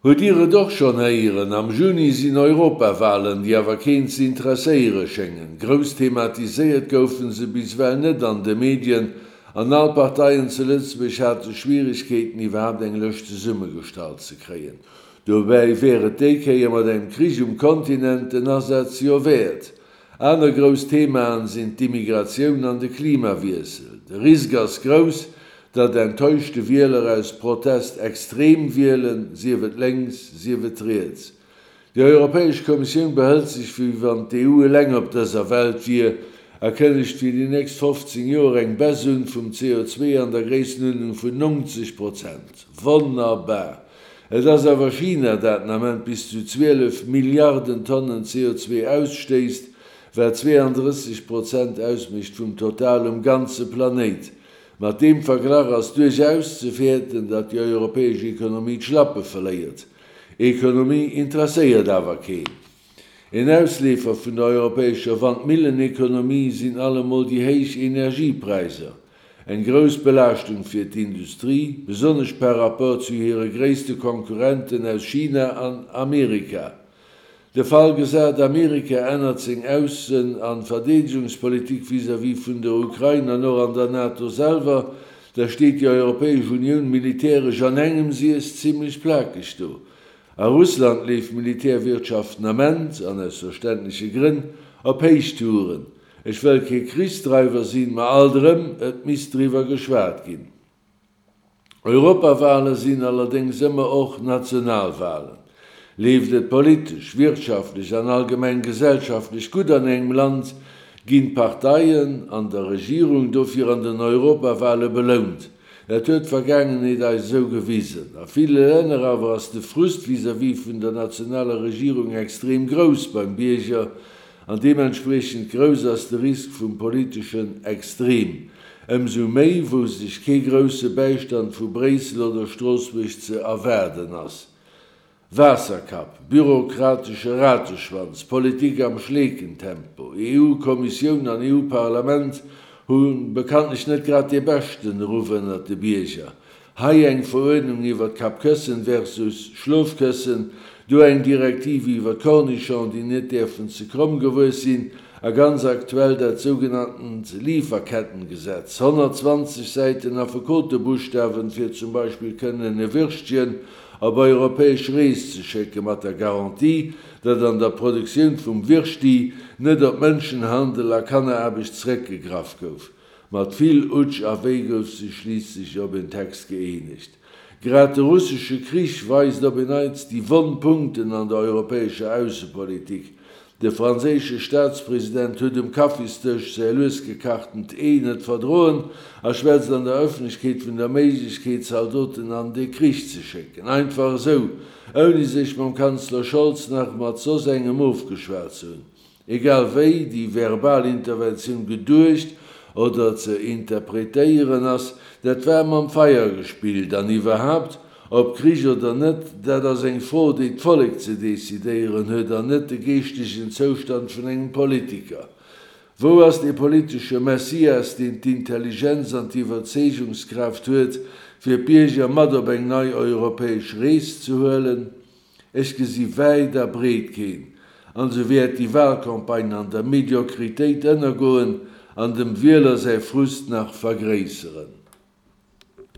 Hutt Dir et och schonn héieren? Am Juni sinn Europawalen, déi awer keen ze interesséiere schéngen. Grouss thematiséiert goufen se bis ewell net an de Medien, an all Parteien zu Lëtzebuerg hate Schwieregkeeten iwwerhaapt eng Lëscht zesummegestallt ze kréien. Dobäi wär et déi Kéier mat engem Krich um Kontinent den Asaz jo wäert. Aner grouss Themaen sinn d'Immigratioun an de Klimawiessel. De Risk ass grouss, datt enttäuschte Wieler aus Protest extrem wielen, sief et lénks, sief et riets. Déi Europäesch Kommissioun behëlt sech, wéi wann d'EU eleng op dëser Welt wier, a kënnegt fir déi nächst 15 Joer eng Baisse un vum CO2 an der Gréissenuerdnung vun 90 Prozent. Wonnerbar! Et ass awer China, dat den Ament bis zu 12 Milliarden Tonnen CO2 ausstéisst, wat 32 Prozent ausmécht vum Total um ganze Planéit. Mat deem Verglach ass duerchaus ze fäerten, datt déi europäesch Ekonomie d'Schlappe verléiert. Ekonomie interesséiert awer keen. Een Ausleefer vun der europäescher Wandmillenekonomie sinn allemol déi héich Energiepräisser. Eng grouss Belaaschtung fir d'Industrie, besonnesch par rapport zu hire gréisste Konkurrenten aus China an Amerika. De Fall gesat, Amerika ännert seng Aussen an Verdeedegungspolitik vis-à-vis vun der Ukrain an och an der NATO selwer, da steet déi Europäesch Unioun militäresch an engem Siess zimlech plakeg do. A Russland leeft d'Militärwirtschaft den Ament, an aus verständleche Grënn, op Héichtouren. Ech wëll kee Krichsdreiwer sinn, ma alt erëm, et misst driwwer geschwat ginn. Europawale sinn allerdéngs ëmmer och Nationalwalen. Leeft et politesch, wirtschaftlech an allgemeng gesellschaftlech gutt an engem Land, ginn d'Parteien an der Regierung dofir an den Europawale belount. Dat huet d'Vergaangenheet eis esou gewisen. A ville Länner awer ass de Frust vis-à-vis vun der nationaler Regierung extrem grouss beim Bierger An deementspriechend grouss ass de Risk vum politeschen Extrem. Ëmsou méi, wou sech kee grousse Bäistand vu Bréissel oder Stroossbuerg ze erwaarden ass. Waasserkapp, bürokratesche Rateschwanz, Politik am Schleekentempo, EU-Kommissioun an EU-Parlament hu bekanntlech net grad dee beschten Ruff ënnert de Bierger. Hei eng Veruerdnung iwwer d'Kappkëssen versus Schlofkëssen, do eng Direktiv iwwer d'Cornichon, déi net däerfen ze kromm gewuess sinn, a ganz aktuell dat sougenanntent Lieferkettengesetz, 120 Säiten Affekotebuschtawen, fir zum Beispill kënnen e Würstchen op europäesch Rees ze schécke mat der Garantie, datt an der Produktioun vum Würschti net op Mënschenhandel a Kanneraarbecht zréckgegraff gouf. Mat vill Utsch a Wéi gouf sech schliisslech op en Text gëeenegt. Grad de russesche Krich weist op en Neits déi wonn Punkten an der europäescher Aussepolitik. De franséische Staatspresident huet um Kaffisdësch säi lues gekachtent Ee net verdroen a schwätzt an der Ëffentlechkeet vun der Méiglechkeet, Zaldoten an de Krich ze schécken. Einfach esou, ouni sech mam Kanzler Scholz nach mat soss engem ofgeschwat ze hunn. Egal wéi déi verbal Interventioun geduecht oder ze interpretéieren ass, dat war mam Feier gespillt. An iwwerhaapt, ob Krich oder net, dat ass eng Fro, déi d'Vollek ze decidéieren huet an net de geeschtegen Zoustand vun engem Politiker. Wou ass dee politesche Messias, deen d'Intelligenz an d'Iwwerzeegungskraaft huet, fir d'Bierger mat op eng nei europäesch Rees ze huelen? Ech gesi wäit a breet keen. An sou wäert déi Wahlcampagne an der Mediokritéit ënnergoen an dem Wieler säi Frust nach vergréisseren.